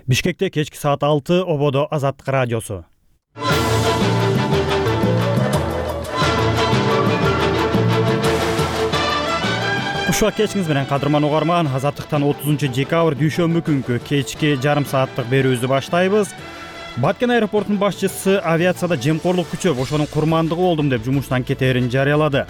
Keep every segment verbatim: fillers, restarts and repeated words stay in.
Бишкекте кечки саат алты, ободо Азаттык радиосу. Кушак кечиңиз менен кадырман угарман, Азаттыктан отузунчу декабрь дүйшөмбү күнкү кечки жарым сааттык берүүбүздү баштайбыз. Баткен аэропортунун башчысы авиацияда жемкорлук күчөп, ошонун курмандыгы болдум деп жумуштан кетээрин жарыялады.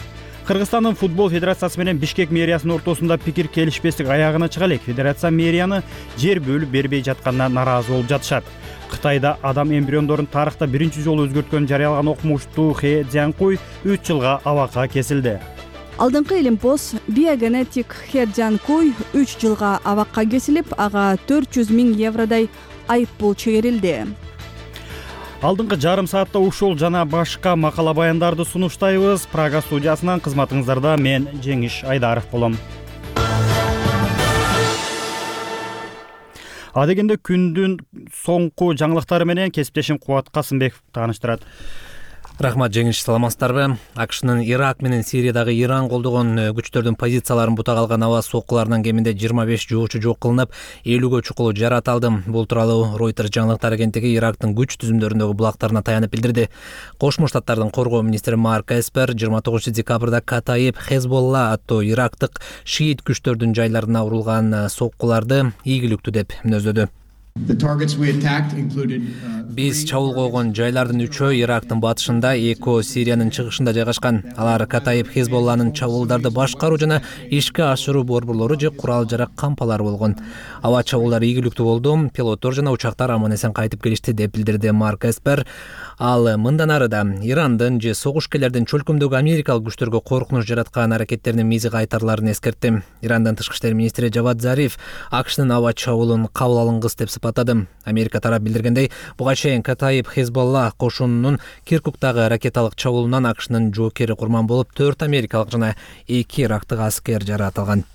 Кыргызстандын футбол федерациясы менен Бишкек мэриясынын ортосунда пикир келишпестик аягына чыга элек. Федерация мэрияны жер бөлүп бербей жатканына нааразы болуп жатышат. Кытайда адам эмбриондорун тарыхта биринчи жолу өзгөрткөнүн жарыялаган окумуштуу Хэ Цзянкуй үч жылга абакка кесилди. Алдыңкы илимпоз биогенетик Хэ Цзянкуй үч жылга абакка кесилип, ага төрт жүз миң евродой айыппул чегерилди. Алдыңкы жарым саатта ушул жана башка макала баяндарды сунуштайбыз. Прага студиясынан кызматыңыздарда мен Жеңиш Айдаров болом. Адегенде күндүн соңку жаңылыктары менен кесиптешим Кубат Касымбеков тааныштырат. Рахмат Жеңиш, саламатсыздарбы? АКШнын Ирак менен Сириядагы Иран колдогон күчтөрдүн позицияларын бута калган аба соккуларынан кеминде жыйырма беш жоочу жок кылынып, элүүгө чукулу жарат алды. Бул тууралуу Reuters жаңылыктар агенттиги Ирактын күч түзүмдөрүндөгү булактарына таянып билдирди. Кошмо Штаттардын коргоо министри Марк Эспер жыйырма тогузунчу декабрда Катаиб Хезболла аттуу ирактык шиит күчтөрдүн жайларына урулган соккуларды ийгиликтүү деп мүнөздөдү. Биз чабуул койгон жайлардын үчөө Ирактын батышында, экөө Сириянын чыгышында жайгашкан. Алар Катаиб Хезболланын чабуулдарды башкаруу жана ишке ашыруу борборлору же курал-жарак кампалары болгон. Аба чабуулдары ийгиликтүү болду, пилоттор жана учактар аман-эсен кайтып келишти деп билдирди Марк Эспер. Ал мындан ары да Ирандын же согушкерлердин чөлкөмдөгү америкалык күчтөргө коркунуч жараткан аракеттеринин мизи кайтарыларын эскертти. Ирандын тышкы иштер министри Жавад Зариф АКШнын аба чабуулун кабыл алынгыс деп сыпаттады. Америка тарап билдиргендей, буга чейин Катаиб Хезболла кошунунун Киркуктагы ракеталык чабуулунан АКШнын жоокери курман болуп, төрт америкалык жана эки ирактык аскер жаратылган.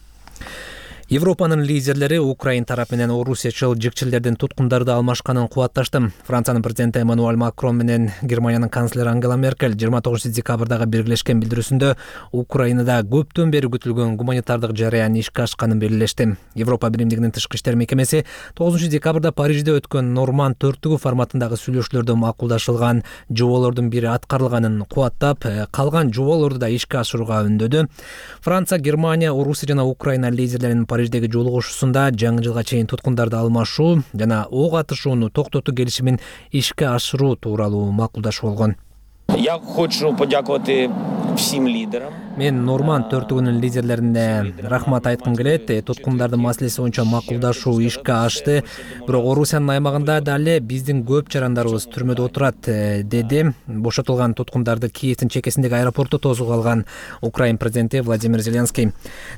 Европанын лидерлери Украин тарап менен орусиячыл жикчилдердин туткундарды алмашканын кубатташты. Франциянын президенти Эммануэль Макрон менен Германиянын канцлери Ангела Меркель жыйырма тогузунчу декабрдагы биргелешкен билдирүүсүндө Украинада көптөн бери күтүлгөн гуманитардык жарыян ишке ашканын белгилешти. Европа биримдигинин тышкы иштер мекемеси тогузунчу декабрда Парижде өткөн Норманд төрттүгү форматындагы сүйлөшүүлөрдө макулдашылган жоболордун бири аткарылганын кубаттап, калган жоболорду да ишке ашырууга үндөдү. Франция, Германия, Орусия жана Украина лидерлеринин Париждеги жолугушуусунда жаңы жылга чейин туткундарды алмашуу жана ок атышууну токтотуу келишимин ишке ашыруу тууралуу макулдашуу болгон. Я хочу подякувати всем лидерам. Мен Норманд төртүгүнүн лидерлерине рахмат айткым келет. Туткундардын маселеси боюнча макулдашуу ишке ашты. Бирок Орусиянын аймагында дале биздин көп жарандарыбыз түрмөдө отурат, деди. Бошотулган туткундарды Киевдин чекесиндеги аэропортто тосуп алган Украин президенти Владимир Зеленский.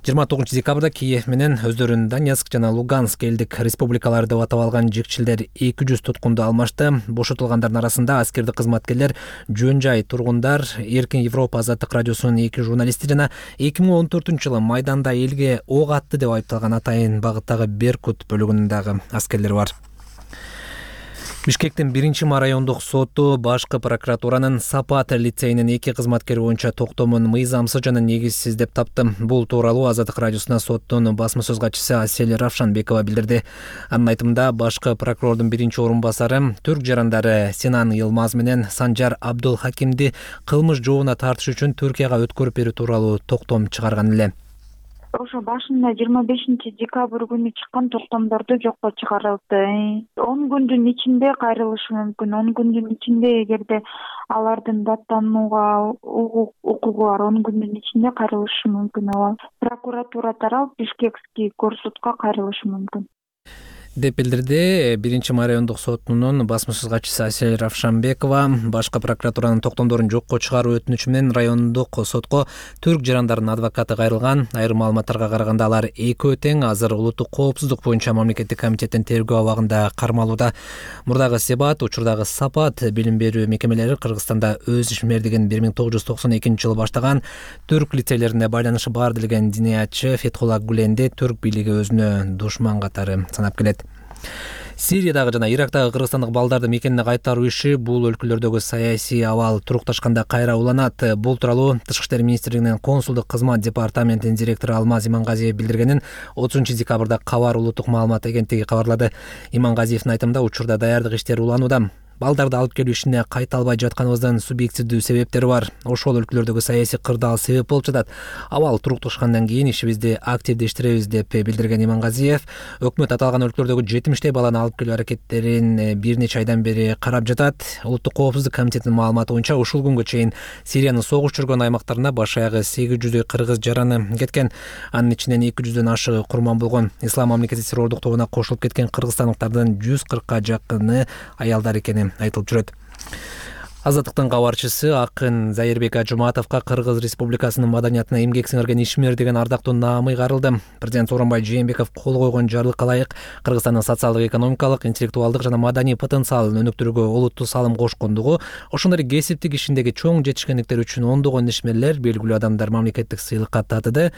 жыйырма тогузунчу декабрда Киев менен өздөрүн Донецк жана Луганск элдик республикалары деп атап алган жикчилдер эки жүз туткунду алмашты. Бошотулгандардын арасында аскердик кызматкерлер, жөн жай тургундар, Эркин Европа Азаттык радиосунун эки журналисти жана эки миң он төртүнчү жылы майданда элге ок атты деп айыпталган атайын багыттагы Беркут бөлүгүнүндагы аскерлер бар. Бишкектин биринчи райондук соту башкы прокуратуранын Сапат лицейинин эки кызматкери боюнча токтомун мыйзамсыз жана негизсиз деп тапты. Бул тууралуу Азаттык радиосуна соттун басма сөз катчысы Асель Равшанбекова билдирди. Анын айтымында башкы прокурордун биринчи орун басары түрк жарандары Синан Йылмаз менен Санжар Абдул Хакимди кылмыш жообуна тартыш үчүн Түркияга өткөрүп берүү тууралуу токтом чыгарган эле. Ошо башында жыйырма бешинчи декабрь күнү чыккан токтомдорду жокко чыгарылды. он күндүн ичинде кайрылышы мүмкүн. он күндүн ичинде эгерде алардын даттанууга укугу бар, он күндүн ичинде кайрылышы мүмкүн. Ала прокуратура тарап Бишкекский горсудка кайрылышы мүмкүн деп билдирди биринчи райондук сотунун басма сөз катчысы Асель Равшанбекова. Башкы прокуратуранын токтомдорун жокко чыгаруу өтүнүчү менен райондук сотко түрк жарандарынын адвокаты кайрылган. Айрым маалыматтарга караганда алар экөө тең азыр улуттук коопсуздук боюнча мамлекеттик комитеттин тергөө абагында кармалууда. Мурдагы Себат, учурдагы Сапат билим берүү мекемелери Кыргызстанда өз ишмердигин бир миң тогуз жүз токсон экинчи жылы баштаган. Түрк лицейлерине байланышы бар делген диниятчы Фетхулла Гуленди түрк бийлиги өзүнө душман катары санап келет. Сириядагы жана Ирактагы кыргызстандык балдарды мекенине кайтаруу иши бул өлкөлөрдөгү саясий абал турукташканда кайра уланат. Бул тууралуу Тышкы иштер министрлигинин консулдук кызмат департаментинин директору Алмаз Имангазиев билдиргенин отузунчу декабрда Кабар улуттук маалымат агенттиги кабарлады. Имангазиевдин айтымында учурда даярдык иштери уланууда. Балдарды алып келүү ишине кайта албай жатканыбыздын субъективдүү себептери бар. Ошол өлкөлөрдөгү саясий кырдаал себеп болуп жатат. Абал турукташкандан кийин ишибизди активдештиребиз деп билдирген Имангазиев, өкмөт аталган өлкөлөрдөгү жетимиштей баланы алып келүү аракеттерин бир нече айдан бери карап жатат. Улуттук коопсуздук комитетинин маалыматы боюнча ушул күнгө чейин Сириянын согуш жүргөн аймактарына баш аягы сегиз жүздөй кыргыз жараны кеткен. Анын ичинен эки жүздөн ашыгы курман болгон. Ислам мамлекети террордук тобуна кошулуп кеткен кыргызстандыктардын жүз кыркка жакыны аялдар экени айтылып жүрөт. Азаттыктын кабарчысы акын Зайырбек Ажуматовго Кыргыз Республикасынын маданиятына эмгек сиңирген ишмер деген ардактуу наамы карылды. Президент Сооронбай Жээнбеков кол койгон жарлыкка ылайык Кыргызстандын социалдык, экономикалык, интеллектуалдык жана маданий потенциалын өнүктүрүүгө олуттуу салым кошкондугу, ошондой эле кесиптик ишиндеги чоң жетишкендиктер үчүн ондогон ишмерлер, белгилүү адамдар мамлекеттик сыйлыкка татыды.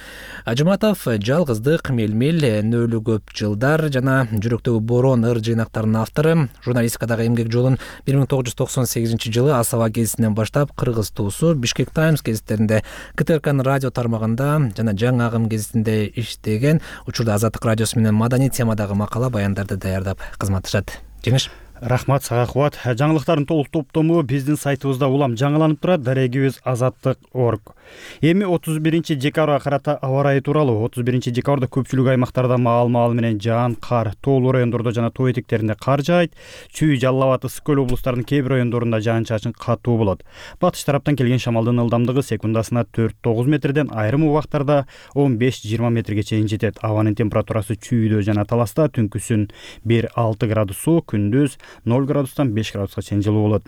Ажуматов жалгыздык, мелмел, нөлүү көп жылдар жана жүрөктөгү борон ыр жыйнактарынын автору. Журналистикадагы эмгек жолун бир миң тогуз жүз токсон сегизинчи жылы Асаба гезитинен баштап Кыргыз туусу Бишкек Таймс гезиттеринде, КТРКнын радио тармагында жана Жаңы агым гезитинде иштеген. Учурда Азаттык радиосу менен маданий темадагы макала баяндарды даярдап кызматташат. Жеңиш. Рахмат сага Кубат. Жаңылыктардын толук топтому биздин сайтыбызда улам жаңыланып турат. Дарегибиз азаттык точка орг. Эми отуз биринчи декабрга карата аба ырайы тууралуу. отуз биринчи декабрда көпчүлүк аймактарда маал-маал менен жаан, кар, тоолуу райондордо жана тоо этектеринде кар жаайт. Чүй, Жалал Абад, Ысык көл облустарынын кээ бир райондорунда жаан-чачын катуу болот. Батыш тараптан келген шамалдын ылдамдыгы секундасына төрт тогуз метрден айрым убактарда он беш жыйырма метрге чейин жетет. Абанын температурасы чүйдө жана таласта түнкүсүн бир алты градус суук, күндүз ноль градустан беш градуска чейин жылуу болот.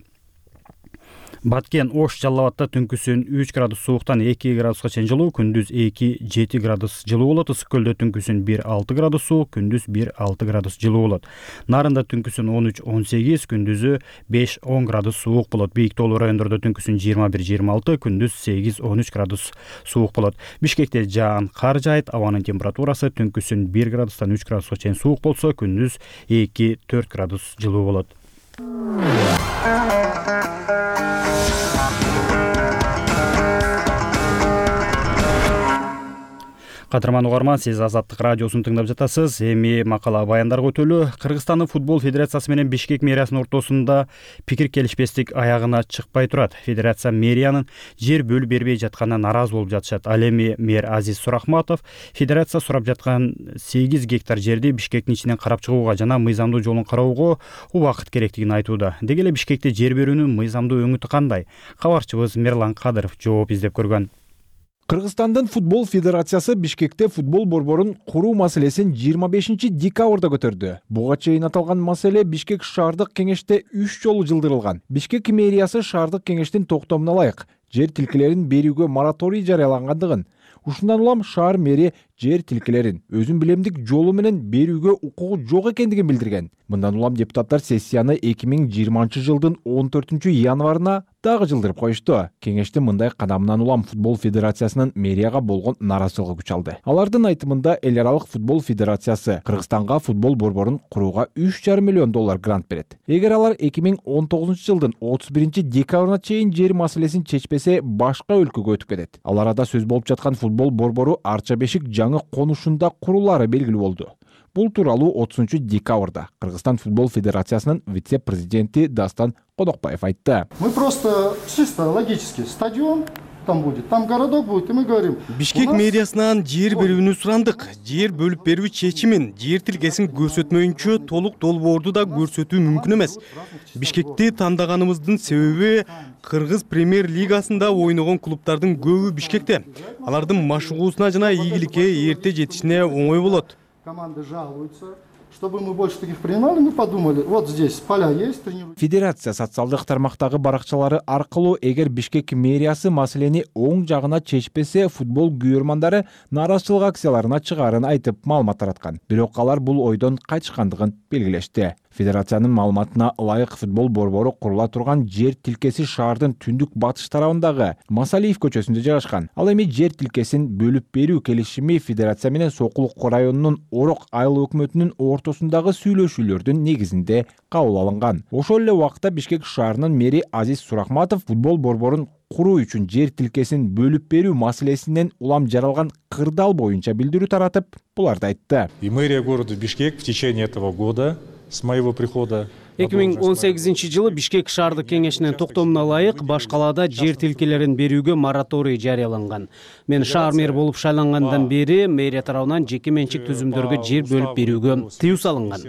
Баткен, Ош, Жалал Абадта түнкүсүн үч градус сууктан эки градуска чейин жылуу, күндүз эки жети градус жылуу болот. Ысык көлдө түнкүсүн бир алты градус суук, күндүз бир алты градус жылуу болот. Нарында түнкүсүн он үч он сегиз, күндүзү беш он градус суук болот. Бийик тоолуу райондордо түнкүсүн жыйырма бир жыйырма алты, күндүз сегиз он үч градус суук болот. Бишкекте жаан, кар жаайт. Абанын температурасы түнкүсүн бир градустан үч градуска чейин суук болсо, күндүз эки төрт градус жылуу болот. Кадырман угарман, сиз Азаттык радиосун тыңдап жатасыз. Эми макала баяндарга өтөлү. Кыргызстандын футбол федерациясы менен Бишкек мэриясынын ортосунда пикир келишпестик аягына чыкпай турат. Федерация мэриянын жер бөлүп бербей жатканына нааразы болуп жатышат. Ал эми мэр Азиз Сурахматов федерация сурап жаткан сегиз гектар жерди Бишкектин ичинен карап чыгууга жана мыйзамдуу жолун кароого убакыт керектигин айтууда. Деги эле Бишкекте жер берүүнүн мыйзамдуу өңүтү кандай? Кабарчыбыз Мерлан Кадыров жооп издеп көргөн. Кыргызстандын футбол федерациясы Бишкекте футбол борборун куруу маселесин жыйырма бешинчи декабрда көтөрдү. Буга чейин аталган маселе Бишкек шаардык кеңеште үч жолу жылдырылган. Бишкек мэриясы шаардык кеңештин токтомуна ылайык жер тилкелерин берүүгө мораторий жарыялангандыгын, ушундан улам шаар мэри жер тилкелерин өзүн билемдик жолу менен берүүгө укугу жок экендигин билдирген. Мындан улам депутаттар сессияны эки миң жыйырманчы жылдын он төртүнчү январына дагы жылдырып коюшту. Кеңештин мындай кадамынан улам футбол федерациясынын мэрияга болгон нааразычылыгы күч алды. Алардын айтымында эл аралык футбол федерациясы Кыргызстанга футбол борборун курууга үч жарым миллион доллар грант берет. Эгер алар эки миң он тогузунчу жылдын отуз биринчи декабрына чейин жер маселесин чечпесе, башка өлкөгө өтүп кетет. Ал арада сөз болуп жаткан футбол борбору Арча Бешик жаңы конушунда курулары белгилүү болду. Бул тууралуу отузунчу декабрда Кыргызстан футбол федерациясынын вице-президенти Дастан Кодокбаев айтты. Мы просто чисто логически стадион там будет, там городок будет, и мы говорим. Бишкек мэриясынан жер берүүнү сурандык. Жер бөлүп берүү чечимин жер тилкесин көрсөтмөйүнчө толук долбоорду да көрсөтүү мүмкүн эмес. Бишкекти тандаганыбыздын себеби Кыргыз премьер лигасында ойногон клубтардын көбү Бишкекте. Алардын машыгуусуна жана ийгиликке эрте жетишине оңой болот. Команды жалуются. Чтобы мы больше таких принимали, мы подумали, вот здесь поля есть, тренируют. Федерация социалдык тармактагы баракчалары аркылуу эгер Бишкек мэриясы маселени оң жагына чечпесе, футбол күйөрмандары нааразычылык акцияларына чыгаарын айтып маалымат тараткан. Бирок алар бул ойдон кайтышкандыгын белгилешти. Федерациянын маалыматына ылайык футбол борбору курула турган жер тилкеси шаардын түндүк батыш тарабындагы Масалиев көчөсүндө жайгашкан. Ал эми жер тилкесин бөлүп берүү келишими Федерация менен Сокулук районунун Орок айыл өкмөтүнүн ортосундагы сүйлөшүүлөрдүн негизинде кабыл алынган. Ошол эле убакта Бишкек шаарынын мэри Азиз Сурахматов футбол борборун куруу үчүн жер тилкесин бөлүп берүү маселесинен улам жаралган кырдаал боюнча билдирүү таратып, буларды айтты. И мэрия города Бишкек в течение этого года с моего прихода эки миң он сегизинчи жылы Бишкек шаардык кеңешинин токтомуна ылайык баш калаада жер тилкелерин берүүгө мораторий жарыяланган. Мен шаар мэри болуп шайлангандан бери мэрия тарабынан жеке менчик түзүмдөргө жер бөлүп берүүгө тыюу салынган.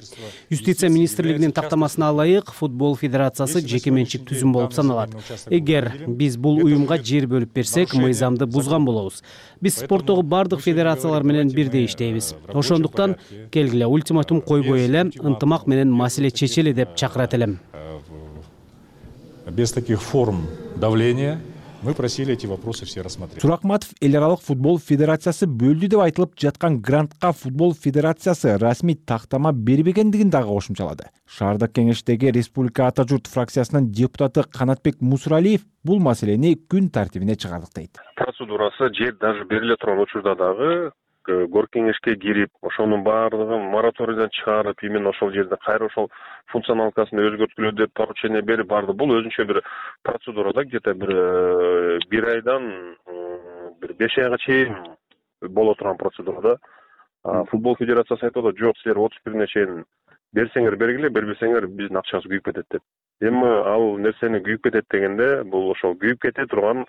Юстиция министрлигинин тактамасына ылайык футбол федерациясы жеке менчик түзүм болуп саналат. Эгер биз бул уюмга жер бөлүп берсек, мыйзамды бузган болобуз. Биз спорттогу бардык федерациялар менен бирдей иштейбиз. Ошондуктан келгиле ультиматум койбой эле ынтымак менен маселе чечели деп чакырат элем. Без таких форм давления мы просили эти вопросы все рассмотреть. Сурахматов эл аралык футбол федерациясы бөлдү деп айтылып жаткан грантка футбол федерациясы расмий тактама бербегендигин дагы кошумчалады. Шаардык кеңештеги Республика Ата журт фракциясынын депутаты Канатбек Мусуралиев бул маселени күн тартибине чыгардык дейт. Процедурасы жер даже бериле турган учурда дагы горк кеңешке кирип, ошонун баардыгын мораторийден чыгарып, именно ошол жерде кайра ошол функционалкасын өзгөрткүлө деп поручение берип барды. Бул өзүнчө бир процедурада где-то бир бир айдан бир беш айга чейин боло турган процедурада. Футбол федерациясы айтып атат, жок, силер отуз бирине чейин берсеңер бергиле, бербесеңер биздин акчабыз күйүп кетет деп. Эми ал нерсени күйүп кетет дегенде, бул ошол күйүп кете турган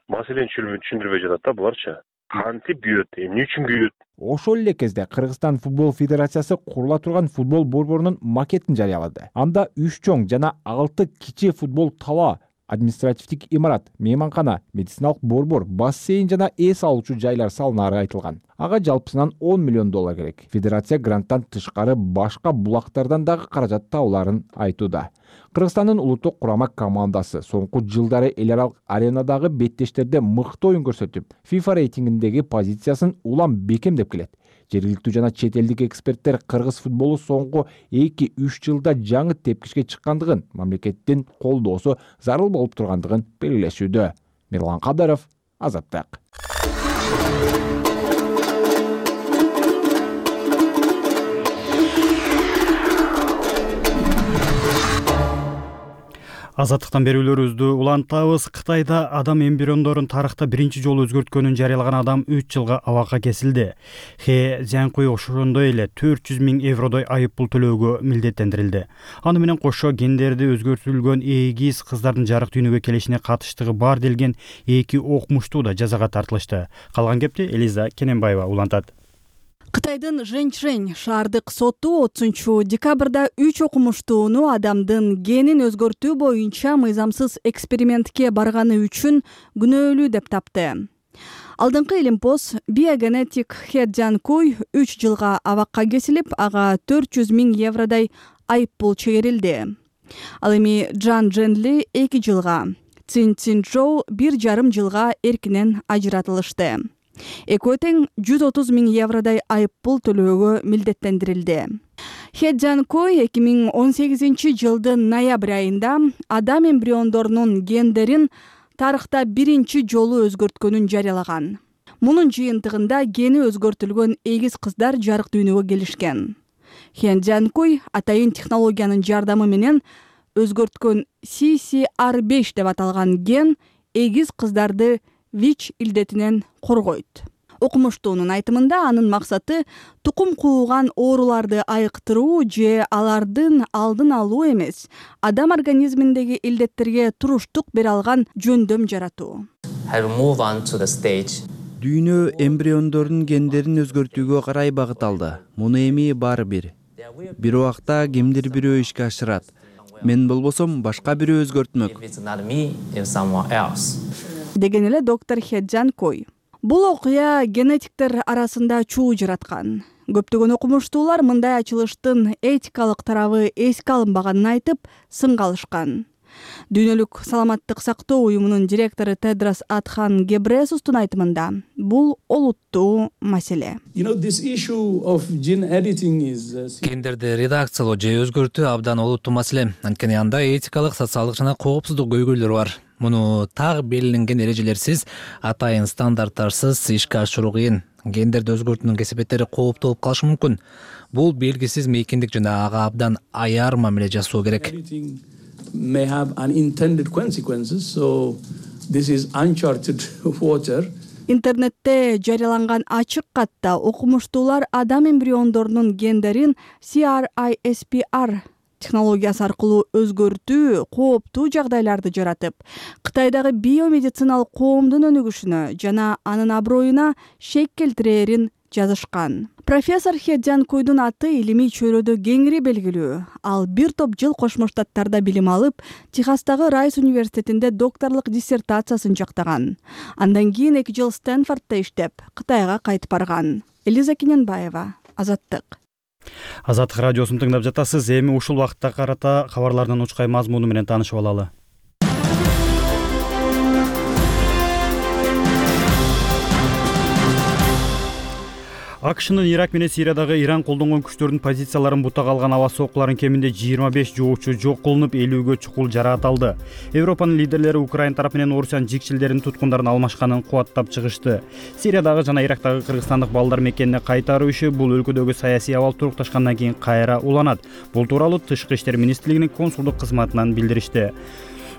маселени түшүндүрбөй жатат да буларчы. Кантип күйөт, эмне үчүн күйөт? Ошол эле кезде Кыргызстан футбол федерациясы курула турган футбол борборунун макетин жарыялады. Анда үч чоң жана алты кичи футбол тала, административдик имарат, мейманкана, медициналык борбор, бассейн жана эс алуучу жайлар салынары айтылган. Ага жалпысынан он миллион доллар керек. Федерация гранттан тышкары башка булактардан дагы каражат табыларын айтууда. Кыргызстандын улуттук курама командасы соңку жылдары эл аралык аренадагы беттештерде мыкты оюн көрсөтүп, FIFA рейтингиндеги позициясын улам бекемдеп келет. Жергиликтүү жана чет элдик эксперттер кыргыз футболу соңку эки үч жылда жаңы тепкичке чыккандыгын, мамлекеттин колдоосу зарыл болуп тургандыгын белгилешүүдө. Мирлан Кадыров, Азаттык. Азаттыктан берүүлөрүбүздү улантабыз. Кытайда адам эмбриондорун тарыхта биринчи жолу өзгөрткөнүн жарыялаган адам үч жылга абакка кесилди. Хе Зянкуй ошондой эле төрт жүз миң евродой айып пул төлөөгө милдеттендирилди. Аны менен кошо гендерди өзгөртүлгөн эгиз кыздардын жарык дүйнөгө келишине катыштыгы бар делген эки окумуштуу да жазага тартылышты. Калган кепти Элиза Кененбаева улантат. Кытайдын Жэньчжэнь шаардык соту отузунчу декабрда үч окумуштууну адамдын генин өзгөртүү боюнча мыйзамсыз экспериментке барганы үчүн күнөөлүү деп тапты. Алдыңкы илимпоз биогенетик Хе Дзянкуй үч жылга абакка кесилип, ага төрт жүз миң евродой айып пул чегерилди. Ал эми Джан Дженли эки жылга, Цин Цинчжоу бир жарым жылга эркинен ажыратылышты. Экөө тең жүз отуз миң евродой айып пул төлөөгө милдеттендирилди. Хе Дзянкуй эки миң он сегизинчи жылдын ноябрь айында адам эмбриондорунун гендерин тарыхта биринчи жолу өзгөрткөнүн жарыялаган. Мунун жыйынтыгында гени өзгөртүлгөн эгиз кыздар жарык дүйнөгө келишкен. Хе Дзянкуй атайын технологиянын жардамы менен өзгөрткөн си си ар беш деп аталган ген эгиз кыздарды ВИЧ илдетинен коргойт. Окумуштуунун айтымында анын максаты тукум кууган ооруларды айыктыруу же алардын алдын алуу эмес, адам организминдеги илдеттерге туруштук бере алган жөндөм жаратуу. Дүйнө эмбриондордун гендерин өзгөртүүгө карай багыт алды. Муну эми баары бир. Бир убакта кимдир бирөө ишке ашырат. Мен болбосом башка бирөө өзгөртмөк. Деген эле доктор Хе Дзянкуй. Бул окуя генетиктер арасында чуу жараткан. Көптөгөн окумуштуулар мындай ачылыштын этикалык тарабы эске алынбаганын айтып, сынга алышкан. Дүйнөлүк саламаттык сактоо уюмунун директору Тедрос Адхан Гебресустун айтымында бул олуттуу маселе. Гендерди редакциялоо же өзгөртүү абдан олуттуу маселе. Анткени анда этикалык, социалдык жана коопсуздук көйгөйлөрү бар. Муну так белгиленген эрежелерсиз, атайын стандарттарсыз ишке ашыруу кыйын. Гендерди өзгөртүүнүн кесепеттери кооптуу болуп калышы мүмкүн. Бул белгисиз мейкиндик жана ага абдан аяр мамиле жасоо керек. Интернетте жарыяланган ачык катта окумуштуулар адам эмбриондорунун гендерин CRISPR технологиясы аркылуу өзгөртүү кооптуу жагдайларды жаратып, Кытайдагы биомедициналык коомдун өнүгүшүнө жана анын аброюна шек келтирээрин жазышкан. Профессор Хе Дзянкуйдун аты илимий чөйрөдө кеңири белгилүү. Ал бир топ жыл Кошмо Штаттарда билим алып, Техастагы Райс университетинде докторлук диссертациясын жактаган. Андан кийин эки жыл Стэнфордто иштеп, Кытайга кайтып барган. Элиза Кененбаева, Азаттык. Азаттык радиосун тыңдап жатасыз. Эми ушул убакытта карата кабарлардын учкай мазмуну менен таанышып алалы. АКШнын Ирак менен Сириядагы Иран колдонгон күчтөрдүн позицияларын бутага алган аба соккуларын кеминде жыйырма беш жоочу жок кылынып, элүүгө чукул жарааталды. Европанын лидерлери Украина тарапы менен Орусиянын жикчилдерин туткундарын алмашканын кубаттап чыгышты. Сириядагы жана Ирактагы кыргызстандык балдар мекенине кайтаруу иши бул өлкөдөгү саясий абал турукташкандан кийин кайра уланат. Бул тууралуу Тышкы иштер министрлигинин консулдук кызматынан билдиришти.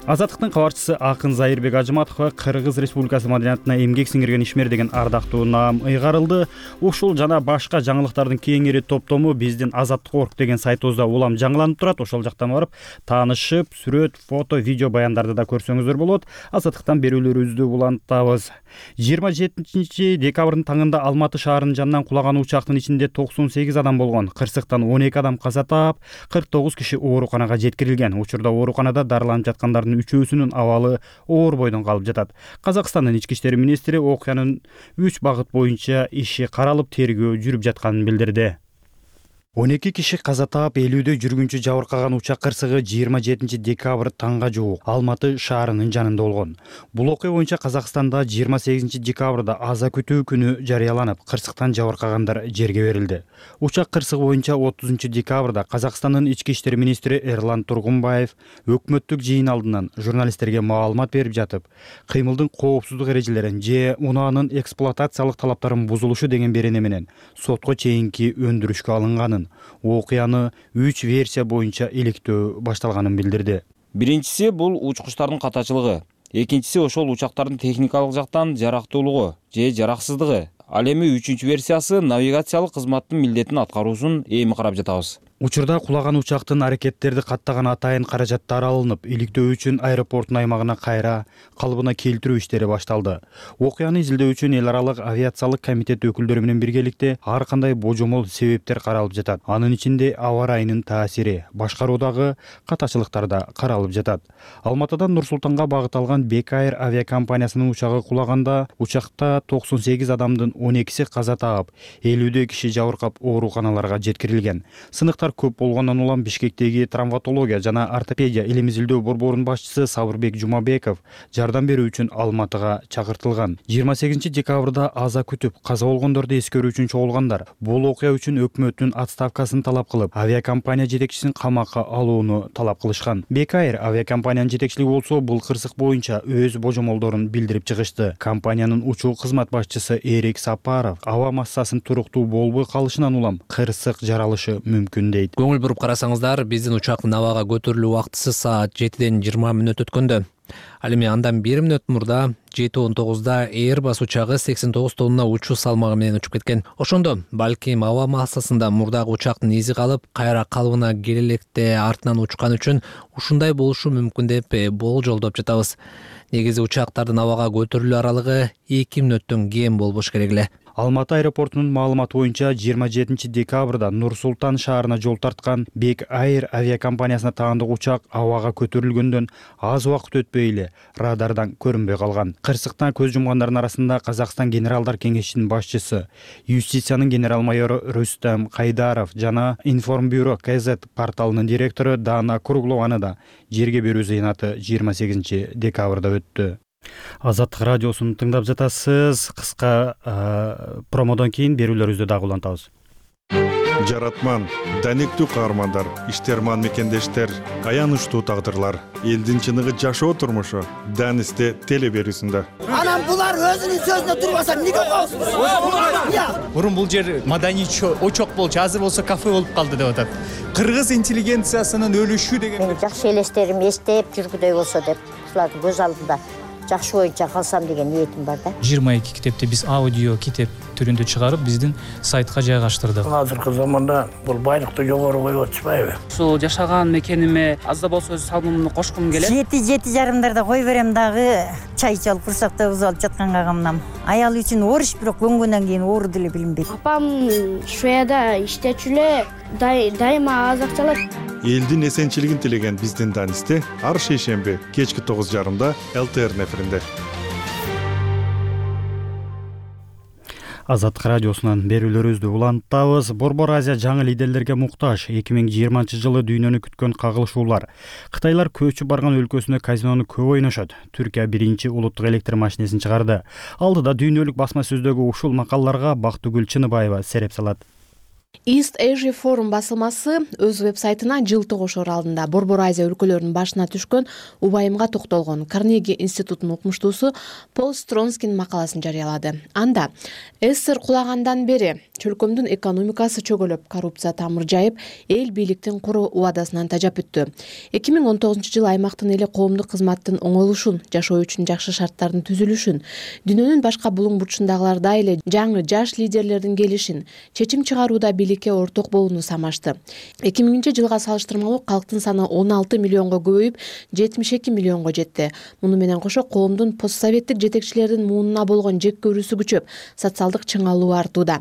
Азаттыктын кабарчысы Акын Зайырбек Ажыматовго Кыргыз Республикасы маданиятына эмгек сиңирген ишмер деген ардактуу наам ыйгарылды. Ушул жана башка жаңылыктардын кеңири топтому биздин Азаттык орг деген сайтыбызда улам жаңыланып турат. Ошол жактан барып таанышып, сүрөт, фото, видео баяндарды да көрсөңүздөр болот. Азаттыктан берүүлөрүбүздү улантабыз. жыйырма жетинчи декабрдын таңында Алматы шаарынын жанынан кулаган учактын ичинде токсон сегиз адам болгон. Кырсыктан он эки адам каза таап, кырк тогуз киши ооруканага жеткирилген. Учурда ооруканада дарыланып жаткандардын үчөөсүнүн абалы оор бойдон калып жатат. Казакстандын ички иштер министри окуянын үч багыт боюнча иши каралып, тергөө жүрүп жатканын билдирди. он эки киши каза таап, элүүдө жүргүнчү жабыркаган учак кырсыгы жыйырма жетинчи декабрь таңга жуук Алматы шаарынын жанында болгон. Бул окуя боюнча Казакстанда жыйырма сегизинчи декабрда аза күтүү күнү жарыяланып, кырсыктан жабыркагандар жерге берилди. Учак кырсыгы боюнча отузунчу декабрда Казакстандын ички иштер министри Эрлан Тургунбаев өкмөттүк жыйын алдынан журналисттерге маалымат берип жатып, кыймылдын коопсуздук эрежелерин же унаанын эксплуатациялык талаптарын бузулушу деген берене менен сотко чейинки өндүрүшкө алынганын, окуяны үч версия боюнча иликтөө башталганын билдирди. Биринчиси бул учкучтардын катачылыгы, экинчиси ошол учактардын техникалык жактан жарактуулугу же жараксыздыгы. Ал эми үчүнчү версиясы навигациялык кызматтын милдетин аткаруусун эми карап жатабыз. Учурда кулаган учактын аракеттерди каттаган атайын каражаттар алынып, иликтөө үчүн аэропорттун аймагына кайра калыбына келтирүү иштери башталды. Окуяны изилдөө үчүн эл аралык авиациялык комитет өкүлдөрү менен биргеликте ар кандай божомол себептер каралып жатат. Анын ичинде аба ырайынын таасири, башкаруудагы катачылыктар да каралып жатат. Алматыдан Нур Султанга багыт алган Бек Air авиакомпаниясынын учагы кулаганда учакта токсон сегиз адамдын он экиси каза таап, элүүдө киши жабыркап ооруканаларга жеткирилген. Сыныктар көп болгондон улам Бишкектеги травматология жана ортопедия илим изилдөө борборунун башчысы Сабырбек Жумабеков жардам берүү үчүн Алматыга чакыртылган. жыйырма сегизинчи декабрда аза күтүп, каза болгондорду эскерүү үчүн чогулгандар бул окуя үчүн өкмөттүн отставкасын талап кылып, авиакомпания жетекчисин камакка алууну талап кылышкан. Бек Air авиакомпаниянын жетекчилиги болсо бул кырсык боюнча өз божомолдорун билдирип чыгышты. Компаниянын учуу кызмат башчысы Эрик Сапаров аба массасынын туруктуу болбой калышынан улам кырсык жаралышы мүмкүн дейт. Көңүл буруп карасаңыздар, биздин учактын абага көтөрүлүү убактысы саат жетиден жыйырма мүнөт өткөндө. Ал эми андан бир мүнөт мурда жети он тогузда Airbus учагы сексен тогуз тонна учуу салмагы менен учуп кеткен. Ошондо балким аба массасында мурдагы учактын изи калып, кайра калыбына келе электе артынан учкан үчүн ушундай болушу мүмкүн деп болжолдоп жатабыз. Негизи учактардын абага көтөрүлүү аралыгы эки мүнөттөн кем болбош керек эле. Алматы аэропортунун маалыматы боюнча жыйырма жетинчи декабрда Нур Султан шаарына жол тарткан Бек Air авиакомпаниясына таандык учак абага көтөрүлгөндөн аз убакыт өтпөй эле радардан көрүнбөй калган. Кырсыктан көз жумгандардын арасында Казакстан генералдар кеңешинин башчысы, юстициянын генерал майору Рустам Кайдаров жана Информбюро КЗ порталынын директору Дана Круглованы да жерге берүү зыянаты жыйырма сегизинчи декабрда өттү. Азаттык радиосун тыңдап жатасыз. Кыска промодон кийин берүүлөрүбүздү дагы улантабыз. Жаратман, даниктүү каармандар, иштерман мекендештер, аянычтуу тагдырлар, элдин чыныгы жашоо турмушу Данисте теле берүүсүндө. Анан булар өзүнүн сөзүнө турбаса эмнеге коесуз? Мурун бул жер маданий очок болчу, азыр болсо кафе болуп калды деп атат. Кыргыз интеллигенциясынын өлүшү деген. Мен жакшы элестерим эстеп жүргүдөй болсо деп, ушулардын көз алдында жакшы боюнча калсам деген ниетим бар да. жыйырма эки китепти биз аудио китеп түрүндө чыгарып, биздин сайтка жайгаштырдык. Азыркы заманда бул байлыкты жогору коюп атышпайбы? Ушул жашаган мекениме аз да болсо өз салымымды кошкум келет. Жети жети жарымдарда кой берем дагы, чай чалып курсактабыз алып жатканга камнам. Аял үчүн ооруш, бирок көнгөндөн кийин оору деле билинбейт. Апам Шведияда иштечү эле, дайыма аз акча алат. Элдин эсенчилигин тилеген биздин Данисте ар шейшемби кечки тогуз жарымда ЛТР эфиринде. Азаттык радиосунан берүүлөрүбүздү улантабыз. Борбор Азия жаңы лидерлерге муктаж. эки миң жыйырманчы жылы дүйнөнү күткөн кагылышуулар. Кытайлар көчүп барган өлкөсүнө казинону көп ойношот. Түркия биринчи улуттук электр машинесин чыгарды. Алдыда дүйнөлүк басма сөздөгү ушул макалаларга Бактыгүл Чыныбаева сереп салат. East Asia Forum басылмасы өз веб-сайтына жылтыгошор алдында Борбор Азия өлкөлөрүнүн башына түшкөн убайымга токтолгон Карнеги институтунун окумуштуусу Пол Стронскинин макаласын жарыялады. Анда СССР кулагандан бери чөлкөмдүн экономикасы чөгөлөп, коррупция тамыр жайып, эл бийликтин куру убадасынан тажап өттү. эки миң он тогузунчу жылы аймактын эли коомдук кызматтын оңойлушун, жашоо үчүн жакшы шарттардын түзүлүшүн, дүйнөнүн башка булуң бурчундагылардай эле жаңы жаш лидерлердин келишин, чечим чыгарууда бийликке орток болууну самашты. эки миңинчи жылга салыштырмалуу калктын саны он алты миллионго көбөйүп, жетимиш эки миллионго жетти. Муну менен кошо коомдун постсоветтик жетекчилердин муунуна болгон жек көрүүсү күчөп, социалдык чыңалуу артууда.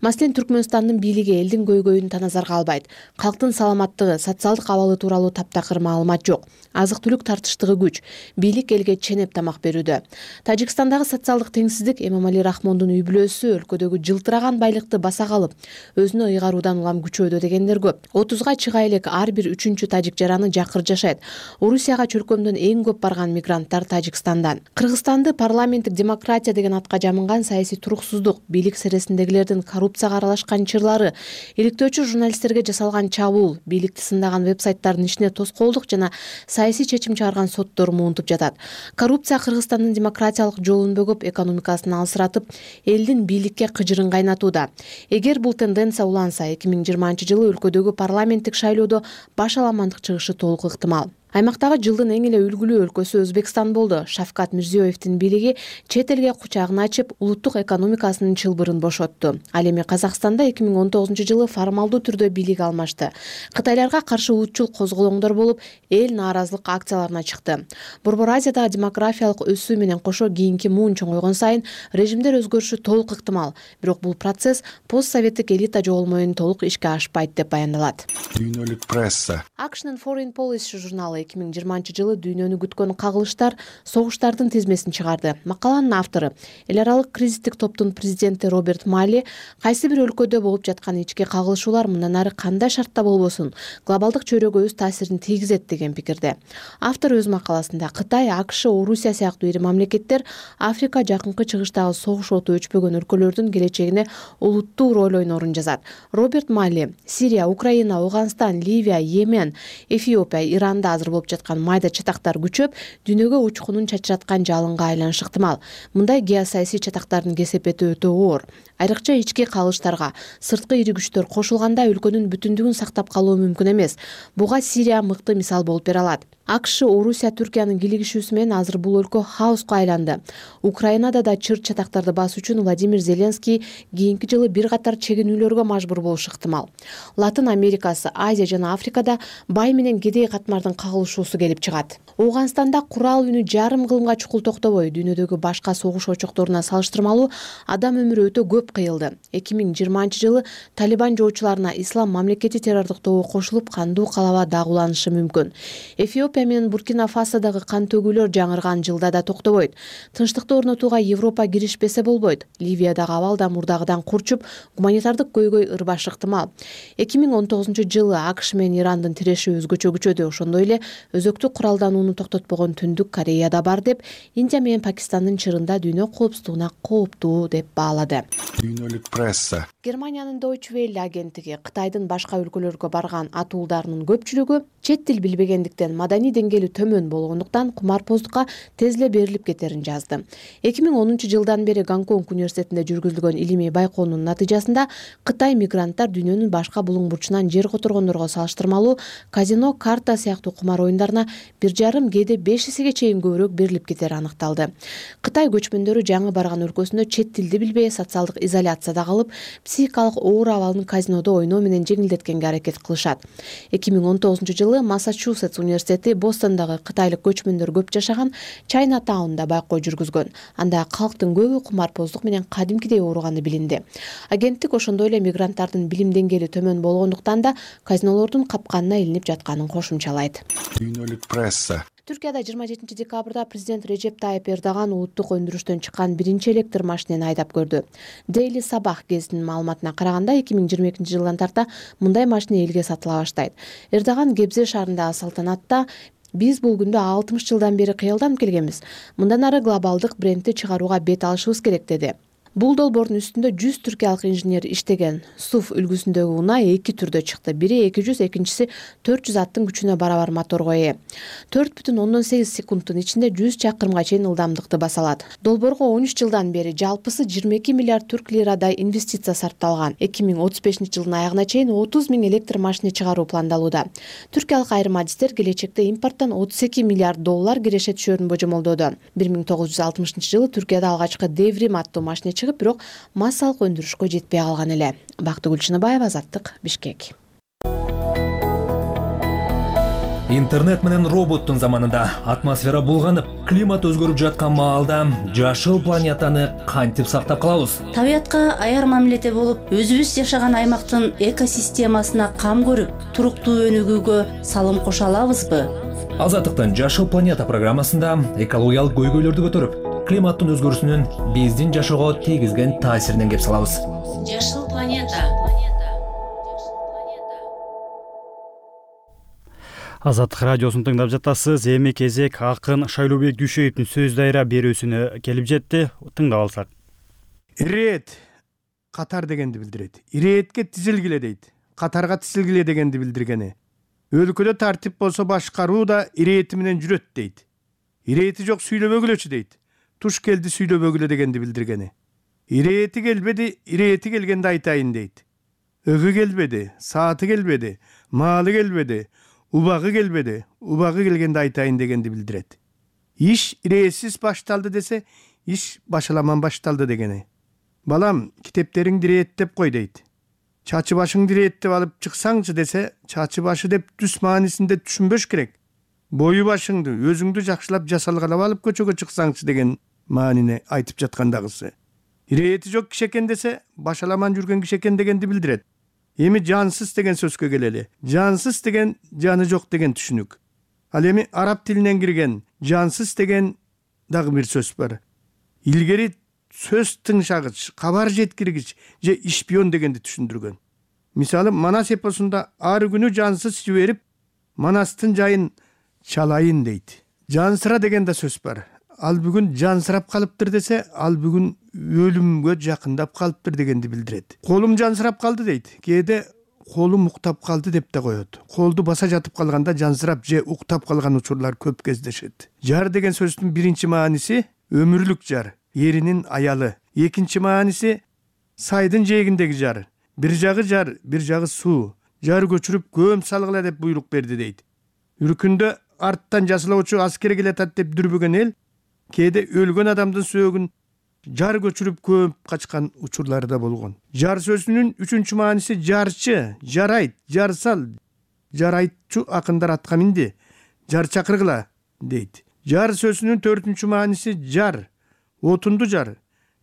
Маселен, Түркмөнстандын бийлиги элдин көйгөйүн таназарга албайт. Калктын саламаттыгы, социалдык абалы тууралуу таптакыр маалымат жок. Азык-түлүк тартыштыгы күч. Бийлик элге ченеп тамак берүүдө. Тажикстандагы социалдык теңсиздик Эмомали Рахмондун үй бүлөсү өлкөдөгү жылтыраган байлыкты баса калып, өзүнө ыйгаруудан улам күчөөдө дегендер көп. отузга чыга элек ар бир үчүнчү тажик жараны жакыр жашайт. Орусияга чөлкөмдөн эң көп барган мигранттар Тажикстандан. Кыргызстанды парламенттик демократия деген атка жамынган саясий туруксуздук, бийлик сересиндегилердин коррупцияга аралашкан чырлары, иликтөөчү журналисттерге жасалган чабуул, бийликти сындаган веб-сайттардын ишине тоскоолдук жана саясий чечим чыгарган соттор муунтуп жатат. Коррупция Кыргызстандын демократиялык жолун бөгөп, экономикасын алсыратып, элдин бийликке кыжырын кайнатууда. Эгер бул тенденция уланса, эки миң жыйырманчы жылы өлкөдөгү парламенттик шайлоодо баш аламандык чыгышы толук ыктымал. Аймактагы жылдын эң эле үлгүлүү өлкөсү Өзбекстан болду. Шавкат Мирзиёевдин бийлиги чет элге кучагын ачып, улуттук экономикасынын чылбырын бошотту. Ал эми Казакстанда эки миң он тогузунчу жылы формалдуу түрдө бийлик алмашты. Кытайларга каршы улутчул козголоңдор болуп, эл нааразылык акцияларына чыкты. Борбор Азиядагы демографиялык өсүү менен кошо кийинки муун чоңойгон сайын режимдер өзгөрүшү толук ыктымал. Бирок бул процесс постсоветтик элита жоголмоо менен толук ишке ашпайт деп баяндалат. Дүйнөлүк пресса. Action and Foreign Policy журналы эки миң жыйырманчы жылы дүйнөнү күткөн кагылыштар, согуштардын тизмесин чыгарды. Макаланын автору, эл аралык кризистик топтун президенти Роберт Мали, кайсы бир өлкөдө болуп жаткан ички кагылышуулар мындан ары кандай шартта болбосун, глобалдык чөйрөгө өз таасирин тийгизет деген пикирде. Автор өз макаласында Кытай, АКШ, Орусия сыяктуу ири мамлекеттер Африка жакынкы чыгыштагы согуш оту өчпөгөн өлкөлөрдүн келечегине олуттуу роль ойнорун жазат. Роберт Мали, Сирия, Украина, Ауганстан, Ливия, Йемен, Эфиопия, Иранда азыр болуп жаткан майда чатактар күчөп, дүйнөгө учкунун чачыраткан жалынга айланышы ыктымал. Мындай геосаясий чатактардын кесепети өтө оор. Айрыкча ички кагылыштарга сырткы ири күчтөр кошулганда өлкөнүн бүтүндүгүн сактап калуу мүмкүн эмес. Буга Сирия мыкты мисал болуп бере алат. АКШ, Орусия, Түркиянын килигишүүсү менен азыр бул өлкө хаоска айланды. Украинада да чыр чатактарды басуу үчүн Владимир Зеленский кийинки жылы бир катар чегинүүлөргө мажбур болушу ыктымал. Латын Америкасы, Азия жана Африкада бай менен кедей катмардын кагылышуусу келип чыгат. Ауганстанда курал үнү жарым кылымга чукул токтобой, дүйнөдөгү башка согуш очокторуна салыштырмалуу адам өмүрү өтө көп кыйылды. эки миң жыйырманчы жылы Талибан жоочуларына Ислам мамлекети террордук тобу кошулуп кандуу калаба дагууланышы мүмкүн. Эфиопия менен Буркина Фасодагы кан төгүүлөр жаңырган жылда да токтобойт. Тынчтыкты орнотууга Европа киришпесе болбойт. Ливиядагы абал да мурдагыдан курчуп, гуманитардык көйгөй ырбашы ыктымал. эки миң он тогузунчу жылы АКШ менен Ирандын тиреши өзгөчө күчөдү. Ошондой эле өзөктүк куралданууну токтотпогон Түндүк Кореяда бар деп, Индия менен Пакистандын чырында дүйнө коопсуздугуна кооптуу деп баалады. Дүйнөлүк пресса. Германиянын Deutsche Welle агенттиги Кытайдын башка өлкөлөргө барган атуулдарынын көпчүлүгү чет тил билбегендиктен маданий деңгээли төмөн болгондуктан кумарпоздукка тез эле берилип кетерин жазды. эки миң онунчу жылдан бери Гонконг университетинде жүргүзүлгөн илимий байкоонун натыйжасында Кытай мигранттар дүйнөнүн башка булуң бурчунан жер которгондорго салыштырмалуу казино, карта сыяктуу кумар оюндарына бир жарым кээде беш эсеге чейин көбүрөөк берилип кетери аныкталды. Кытай көчмөндөрү жаңы барган өлкөсүндө чет тилди билбей социалдык изоляцияда калып, психикалык оор абалын казинодо ойноо менен жеңилдеткенге аракет кылышат. эки миң он тогузунчу жылы Массачусетс университети Бостондагы кытайлык көчмөндөр көп жашаган Чайнатаунда байкоо жүргүзгөн. Анда калктын көбү кумарпоздук менен кадимкидей ооруганы билинди. Агенттик ошондой эле мигранттардын билим деңгээли төмөн болгондуктан да казинолордун капканына илинип жатканын кошумчалайт. Дүйнөлүк пресса. Түркияда жыйырма жетинчи декабрда президент Режеп Тайып Эрдоган улуттук өндүрүштөн чыккан биринчи электр машинени айдап көрдү. Daily Sabah гезитинин маалыматына караганда эки миң жыйырма экинчи жылдан тарта мындай машина элге сатыла баштайт. Эрдоган Гебзе шаарындагы салтанатта биз бул күндө алтымыш жылдан бери кыялданып келгенбиз. Мындан ары глобалдык брендти чыгарууга бет алышыбыз керек деди. Бул долбоордун үстүндө жүз түркиялык инженер иштеген. СУФ үлгүсүндөгү унаа эки түрдө чыкты. Бири эки жүз, экинчиси төрт жүз аттын күчүнө барабар моторго ээ. төрт бүтүн ондон сегиз секундтун ичинде жүз чакырымга чейин ылдамдыкты баса алат. Долбоорго он үч жылдан бери жалпысы жыйырма эки миллиард түрк лирадай инвестиция сарпталган. эки миң отуз бешинчи жылдын аягына чейин отуз миң электр машина чыгаруу пландалууда. Түркиялык айрым адистер келечекте импорттон отуз эки миллиард доллар киреше түшөрүн божомолдоду. бир миң тогуз жүз алтымышынчы жылы Түркияда алгачкы Devrim аттуу машина чыгып, бирок массалык өндүрүшкө жетпей калган эле. Бактыгүл Чыныбаева, Азаттык, Бишкек. Интернет менен роботтун заманында атмосфера булганып, климат өзгөрүп жаткан маалда жашыл планетаны кантип сактап калабыз? Табиятка аяр мамиледе болуп, өзүбүз жашаган аймактын экосистемасына кам көрүп, туруктуу өнүгүүгө салым кошо алабызбы? Азаттыктын Жашыл планета программасында экологиялык көйгөйлөрдү көтөрүп, климаттын өзгөрүүсүнүн биздин жашоого тийгизген таасиринен кеп салабыз. Жашыл планета. Азаттык радиосун тыңдап жатасыз. Эми кезек акын Шайлообек Дүйшөевдин сөз дайра берүүсүнө келип жетти. Тыңдап алсак. Ирет катар дегенди билдирет. Иретке тизилгиле дейт. Катарга тизилгиле дегенди билдиргени. Өлкөдө тартип болсо башкаруу да ирети менен жүрөт дейт. Ирети жок сүйлөбөгүлөчү дейт. Туш келди сүйлөбөгүлө дегенди билдиргени. Ирети келбеди, ирети келгенде айтайын дейт. Ыгы келбеди, сааты келбеди, маалы келбеди, убагы келбеди, убагы келгенде айтайын дегенди билдирет. Иш иретсиз башталды десе, иш башаламан башталды дегени. Балам, китептериңди иреттеп кой дейт. Чачы башыңды иреттеп алып чыксаңчы десе, чачы башы деп түс маанисинде түшүнбөш керек. Бою башыңды, өзүңдү жакшылап жасалгалап алып көчөгө чыксаңчы деген маанини айтып жаткандагысы. Ирети жок киши экен десе, башаламан жүргөн киши экен дегенди билдирет. Эми жансыз деген сөзгө келели. Жансыз деген жаны жок деген түшүнүк. Ал эми араб тилинен кирген жансыз деген дагы бир сөз бар. Илгери сөз тыңшагыч, кабар жеткиргич же ишпион дегенди түшүндүргөн. Мисалы, Манас эпосунда ар күнү жансыз жиберип, Манастын жайын чалайын дейт. Жансыра деген да сөз бар. Ал бүгүн жансырап калыптыр десе, ал бүгүн өлүмгө жакындап калыптыр дегенди билдирет. Колум жансырап калды дейт. Кээде колум уктап калды деп да коет. Колду баса жатып калганда жансырап же уктап калган учурлар көп кездешет. Жар деген сөздүн биринчи мааниси өмүрлүк жар, эринин аялы. Экинчи мааниси сайдын жээгиндеги жар. Бир жагы жар, бир жагы суу. Жар көчүрүп көм салгыла деп буйрук берди дейт. Үркүндө арттан жасылоочу аскер келатат деп дүрбөгөн эл кээде өлгөн адамдын сөөгүн жар көчүрүп көп качкан учурлары да болгон. Жар сөзүнүн үчүнчү мааниси жарчы, жарайт, жарсал. Жарайтчу акындар атка минди, жар чакыргыла дейт. Жар сөзүнүн төртүнчү мааниси жар, отунду жар.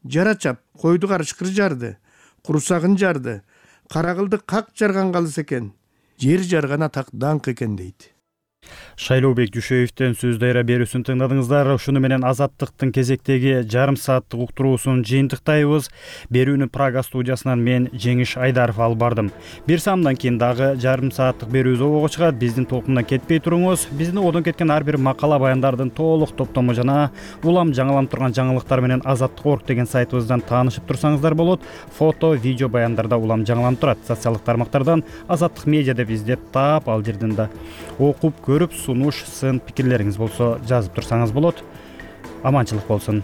жара чап, койду карышкыр жарды, курсагын жарды, каракылды как жарган калыс экен, жер жарган атак даңк экен дейт. Шайлообек Дүйшөевдөн сөз дайра берүүсүн тыңдадыңыздар. Ушуну менен Азаттыктын кезектеги жарым сааттык уктуруусун жыйынтыктайбыз. Берүүнү Прага студиясынан мен Жеңиш Айдаров алып бардым. Бир самдан кийин дагы жарым сааттык берүү обого чыгат. Биздин толкундан кетпей туруңуз. Биздин одон кеткен ар бир макала баяндардын толук топтому жана улам жаңыланып турган жаңылыктар менен азаттык точка орг деген сайтыбыздан таанышып турсаңыздар болот. Фото, видео баяндарда улам жаңыланып турат. Социалдык тармактардан Азаттык медиа деп издеп таап, ал жерден да окуп көрүп, сунуш, сын пикирлериңиз болсо жазып турсаңыз болот. Аманчылык болсун.